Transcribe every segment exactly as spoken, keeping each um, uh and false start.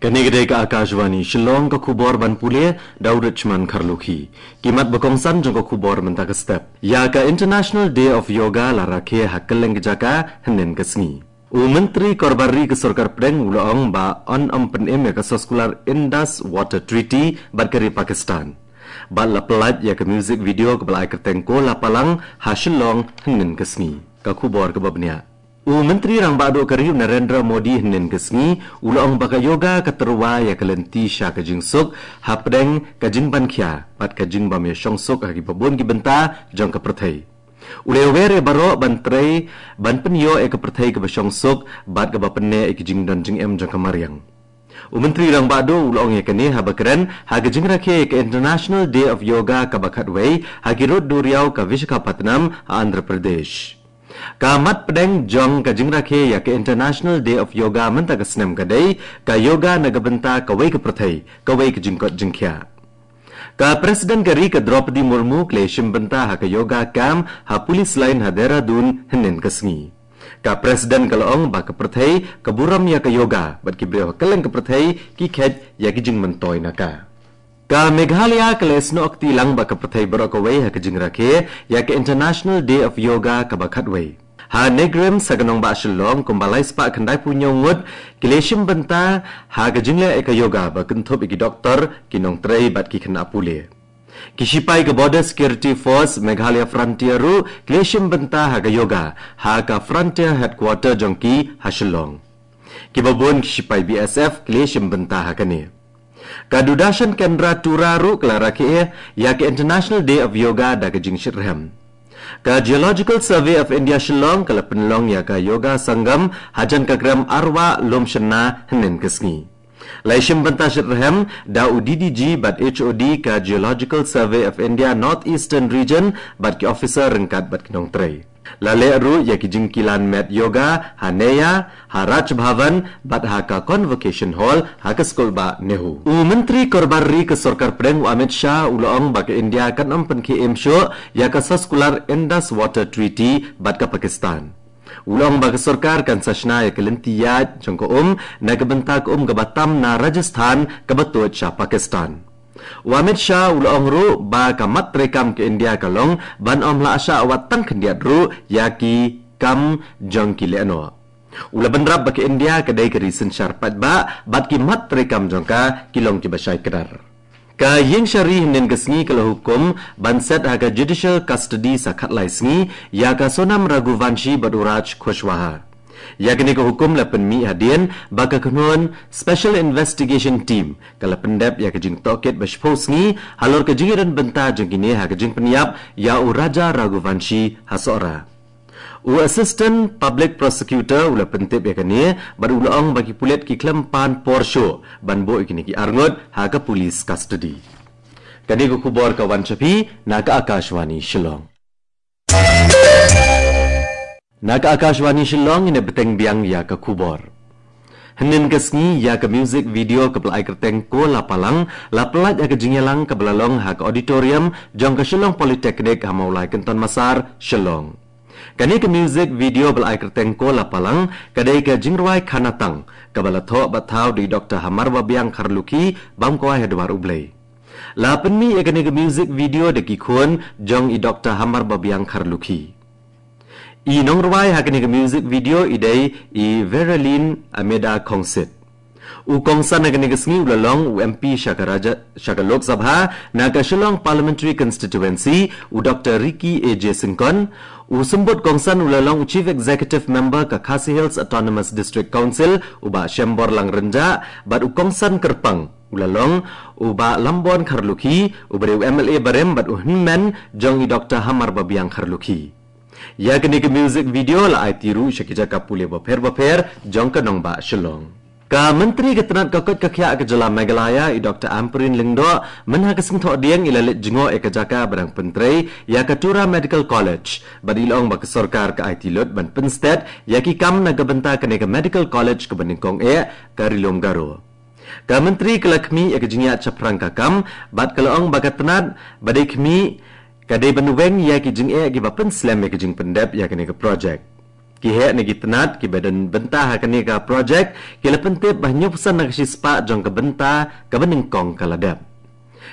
Kane ka dei ka Akashvani Shillong, ka khubor ban pule da u Richmond Kharlukhi. Ki mat ba kongsan jong ka khubor mynta ka step. Ïa ka International Day of Yoga la rakhe ha kylleng ka jaka hynnin ka sngi. U Myntri Korbar Ri ka Sorkar Pdeng u la ong ba yn ym pynim ïa ka soskular Indus Water Treaty bad ka ri Pakistan. Bad la pyllait ïa ka music video kaba la ai kyrteng Ko La Palang ha Shillong hynnin ka sngi. Ka khubor kaba bniah. U Myntri Rangbah Duh ka ri u Narendra Modi hynnin ka sngi u la ong ba ka yoga ka tyrwa ïa ka lynti sha ka jingsuk, hapdeng ka jingpynkhia bad ka jingbym ïashong suk ha kiba bun ki bynta jong ka pyrthei. U la wer ïa baroh ban trei ban pynïoh ïa ka pyrthei kaba shong suk bad kaba pynneh ïa ki jingdon jingem jong ka mariang. U Myntri Rangbah Duh u la ong ïa kane haba kren ha ka jingrakhe ïa ka International Day of Yoga kaba khatwei ha ki rud duriaw ka Visakhapatnam ha Andhra Pradesh. Ka mat pdeng jong ka jingrakhe ïa ka International Day of Yoga mynta ka snem ka dei ka yoga na ka bynta kawei ka pyrthei, kawei ka jingkoit jingkhiah. Ka President ka ri ka Droupadi Murmu ka la ïashim bynta ha ka yoga camp ha Police Line ha Dehradun hynnin ka sngi. Ka President ka la ong ba ka pyrthei ka burom ïa ka yoga bad ki briew ha kylleng ka pyrthei ki kheit ïa ki jingmyntoi na ka. Ka Meghalaya ka la ïasnoh kti lang bad ka pyrthei baroh kawei ha ka jingrakhe ïa ka International Day of Yoga kaba khatwei. Ha NEIGRIHMS ha ka nongbah Shillong kumba lai spah khyndai phew hynñiew ngut ki la ïashim bynta ha ka jingleh ïa ka yoga ba kynthup ïa ki doktor, ki nongtrei bad ki khynnah pule. Ki shipai ka Border Security Force Meghalaya Frontier ruh ki la ïashim bynta ha ka yoga ha ka Frontier Headquarter jong ki ha Shillong. Kiba bun ki shipai B S F ki la ïashim bynta ha kane. Ka Doordarshan Kendra Tura ruh ka la rakhe ïa ka International Day of Yoga da ka jingshitrhem. Ka Geological Survey of India Shillong ka la pynlong ïa ka Yoga Sangam hajan ka krem Arwah Lumshynna hynnin ka sngi. La ïashim bynta shitrhem da u D D G bad H O D ka Geological Survey of India North Eastern Region bad ki officer ryngkat bad ki nongtrei. La leh ruh ïa ki jingkilan met yoga ha Neia, ha Raj Bhavan bad ha ka Convocation Hall ha ka skulbah NEHU. U Myntri Korbar Ri ka Sorkar Pdeng u Amit Shah u la ong ba ka India kan ym pynkhie im shuh ïa ka soskular Indus Water Treaty bad ka Pakistan. U la ong ba ka sorkar kan sa shna ïa ka lynti ïaid jong ka um na ka bynta ka um kaba tam na Rajasthan kaba tuid sha Pakistan. U Amit Shah u la ong ruh ba ka mat treikam ka India ka long ban ym lah shah wat tang khyndiat ruh ïa ki kam jong ki lehnoh. U la bynrap ba ka India ka dei ka ri synshar paidbah bad ki mat treikam jong ka ki long kiba shai kdar. Ka Ïing Shari hynnin ka sngi ka la hukum ban set ha ka judicial custody sa khatlai sngi ïa ka Sonam Raghuvanshi bad u Raj Kushwaha. Ïa kane ka hukum la pynmih hadien ba ka kynhun Special Investigation Team ka la pyndep ïa ka jingtohkit ba shiphew sngi halor ka jingïadon bynta jong kine ha ka jingpynïap ïa u Raja Raghuvanshi ha Sohra. U Assistant Public Prosecutor u la pyntip ïa kane bad u la ong ba ki pulit ki khlem pan por shuh ban buh ïa kine ki arngut ha ka police custody. Kane ka khubor ka wan sha phi na ka Akashvani Shillong. Na ka Akashvani Shillong, ngin ïa bteng biang ïa ka khubor. Hynnin ka sngi ïa ka music video kaba la ai kyrteng Ko La Palang la pyllait ha ka jingïalang kaba la long ha ka auditorium jong ka Shillong Polytechnic ha Mawlai Kynton Massar, Shillong. Kane ka music video ba la ai kyrteng Ko La Palang ka dei ka jingrwai Khanatang kaba la thoh bad thaw da i Doktor Hamar Babiang Kharlukhi bam kwai ha dwar U Blei. La pynmih ïa kane ka music video da ki khun jong i Doktor Hamar Babiang Kharlukhi. I nongrwai ha kane ka music video i dei i Veralyn Ameda Khongsit. U kongsan ha kane ka sngi u la long u M P sha ka Raja, sha ka Lok Sabha na ka Shillong Parliamentary Constituency, u Doktor Ricky A J Syngkon. U symbud kongsan u la long u Chief Executive Member ka Khasi Hills Autonomous District Council, u Bah Shemborlang Rynjah, bad u kongsan kyrpang u la long u Bah Lambon Kharlukhi, uba dei u M L A barim bad u hynmen jong i Doktor Hamar Babiang Kharlukhi. Ïa kane ka music video la aiti ruh sha ki jaka pule bapher bapher jong ka nongbah Shillong. Ka Myntri ka tnat ka koit ka khiah ka jylla Meghalaya, i Doktor Ampareen Lyngdoh, mynha ka Sngi Thohdieng i la leit jngoh ïa ka jaka ba dang pyntrei ïa ka Tura Medical College bad i la ong ba ka sorkar ka aiti lut ban pynsted ïa ki kam na ka bynta kane ka Medical College kaba nyngkong eh ka Ri Lum Garo. Ka Myntri ka la khmih ïa ka jingïaid shaphrang ka kam bad ka la ong ba ka tnat ba dei khmih ka dei ban weng ïa ki jingeh kiba pynslem ïa ka jingpyndep ïa kane ka project. Ki heh na ki tnat kiba don bynta ha kane ka projek ki la pyntip ba hynñiew percent na ka shispah jong ka bynta kaba nyngkong ka la dep.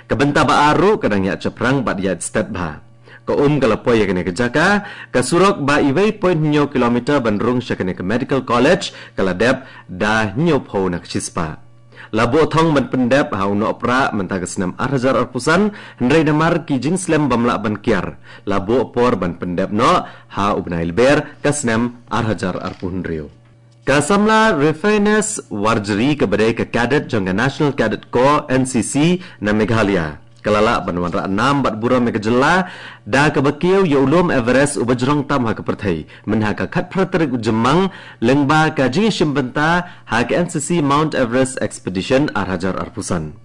Ka bynta ba ar ruh ka dang ïa shaphrang bad ïa stet bha. Ka um ka la poi ïa kane ka jaka, ka surok ba iwei point hynñiew kilometer ban rung sha kane ka medical college ka la dep da hynñiew phew na ka shispah. La buh thong ban pyndep ha u Nohprah mynta ka snem ar hajar arphew san, hynrei namar ki jingslem bym lah ban kiar, la buh por ban pyndep noh ha u bnai Lber ka snem ar hajar arphew hynriew. Ka samla Refinus Warjri kaba dei ka cadet jong ka National Cadet Corps, N C C, na Meghalaya ka la lah ban wanrah nam bad burom ïa ka jylla da kaba kiew ïa u lum Everest uba jrong tam ha ka pyrthei mynha ka khatphra tarik u Jymmang, lyngba ka jingïashim bynta ha ka N C C Mount Everest Expedition ar hajar arphew san.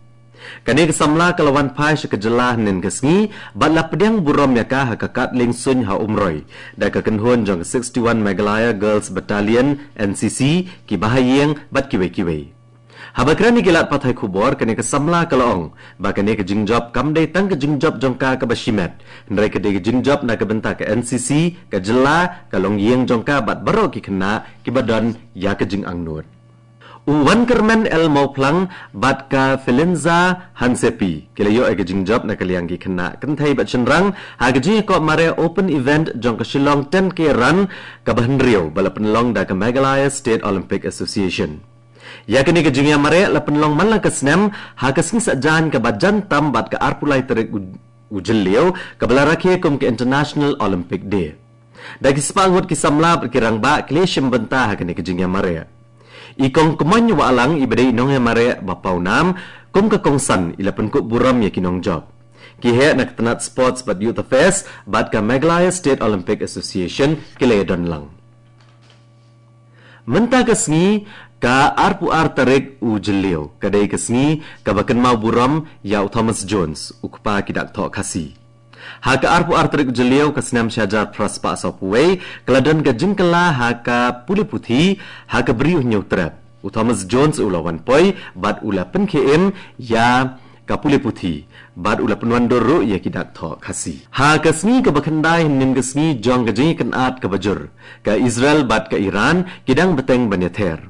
Kane ka samla ka la wan phai sha ka jylla hynnin ka sngi bad la pdiang burom ïa ka ha ka kad lieng suiñ ha Umroi da ka kynhun jong ka sixty-one Meghalaya Girls Battalion, N C C, ki bahaïing bad kiwei kiwei. Haba kren ïa ki lad pathai khubor, kane ka samla ka la ong ba kane ka jingjop kam dei tang ka jingjop jong ka kaba shimet, hynrei ka dei ka jingjop na ka bynta ka N C C, ka jylla, ka longïing jong ka bad baroh ki khynnah kiba don ïa ka jingangnud. U Wankermen L Mawphlang bad ka Felinza Hansepi ki la ïoh ïa ka jingjop na ka liang ki khynnah kynthei bad shynrang ha ka jingïakop mareh open event jong ka Shillong ten K Run kaba hynriew ba la pynlong da ka Meghalaya State Olympic Association. Ïa kane ka jingïamareh la pynlong man la ka snem ha ka sngi Saitjaiñ kaba jan tam bad ka arphew lai tarik u, u Jylliew kaba la rakhe kum ka International Olympic Day. Da ki spah ngut ki samla bad ki rangbah ki la shim bynta ha kane ka jingïamareh. I Kong Kmoin Wahlang iba dei i nongïamareh ba pawnam kum ka kongsan i la pynkup burom ïa ki nongjop. Ki heh na ka tnat Sports bad Youth Affairs bad ka Meghalaya State Olympic Association ki la ïadon lang. Mynta ka sngi ka arphew ar tarik u Jylliew ka dei ka sngi kaba kynmaw burom ïa u Thomas Jones, u kpa ki dak thoh Khasi. Ha ka arphew ar tarik u Jylliew ka snem shi hajar phra spah sawphew wei ka la don ka jingkylla ha ka pule puthi ha ka Bri u Hynñiewtrep. U Thomas Jones u la wan poi bad u la pynkhie im ïa ka pule puthi bad u la pynwandur ruh ïa ki dak thoh Khasi. Ha ka sngi kaba khyndai hynnin ka sngi jong ka jingïakynad kaba jur, ka Israel bad ka Iran ki dang bteng ban ïather.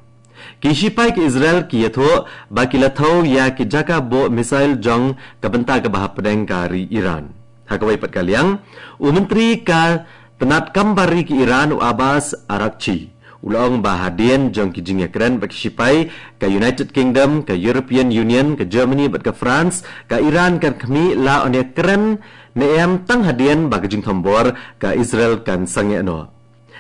Ki shipai ka Israel ki ïathuh ba ki la thew ïa ki jaka buh missile jong ka bynta kaba hapdeng ka ri Iran. Ha kawei pat ka liang, u Myntri ka tnat kam bar ri ka Iran u Abbas Araghchi u la ong ba hadien jong ki jingïakren bad ki shipai ka United Kingdom, ka European Union, ka Germany bad ka France, ka Iran kan khmih la ban ïakren ne em tang hadien ba ka jingthombor ka Israel kan sangeh noh.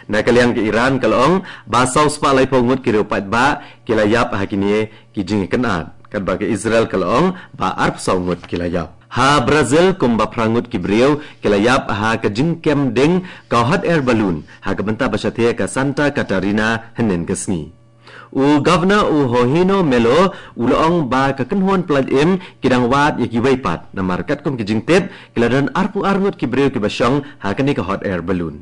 Na ka liang ka Iran ka la ong ba saw spah laiphew ngut ki riew paidbah ki la ïap ha kine ki jingïakynad, katba ka Israel ka la ong ba arphew saw ngut ki la ïap. Ha Brazil kumba phra ngut ki briew ki la ïap ha ka jingkem ding ka hot air balloon ha ka bynta ba shathie ka Santa Catarina hynnin ka sngi. U Governor u Jorginho Melo u la ong ba ka kynhun pyllait im ki dang wad ïa kiwei pat namar katkum ki jingtip ki la don arphew ar ngut ki briew kiba shong ha kane ka hot air balloon.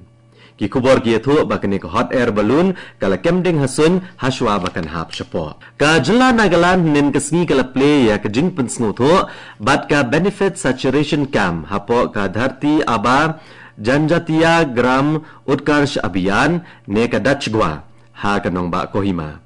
Ki khubor ki ïathuh ba kane ka hot air balloon ka la kem ding ha suiñ hashwa ba kan hap shapoh. Ka jylla Nagaland hynnin ka sngi ka la plie ïa ka jingpynsngewthuh bad ka Benefit Saturation Camp hapoh ka Dharti Aaba Janjatiya Gram Utkarsh Abhiyan ne ka DAJGUA ha ka nongbah Kohima.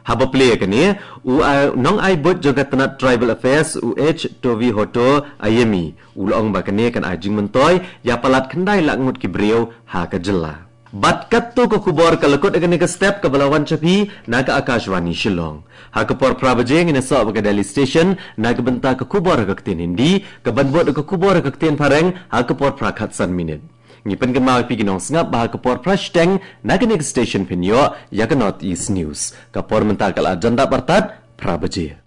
Haba plie ïa kane, u, a, nongai buit jong ka tnat Tribal Affairs u H Tovihoto Ayemi u la ong ba kane kan ai jingmyntoi ïa palat khyndai lak ngut ki briew ha ka jylla. Bad katto ka khubor ka la kut ïa kane ka step kaba la wan sha phi na ka Akashvani Shillong. Ha ka por phra baje ngin ïasoh bad ka Delhi Station na ka bynta ka khubor ha ka ktien Hindi, kaban bud ka khubor ha ka ktien Phareng ha ka por phra khatsan minit. Ngi pynkynmaw ïa phi ki nongsngap ba ha ka por phra shiteng na kane ka station phin ïoh ïa ka North East News. Ka por mynta ka la jan dap artat phra baje.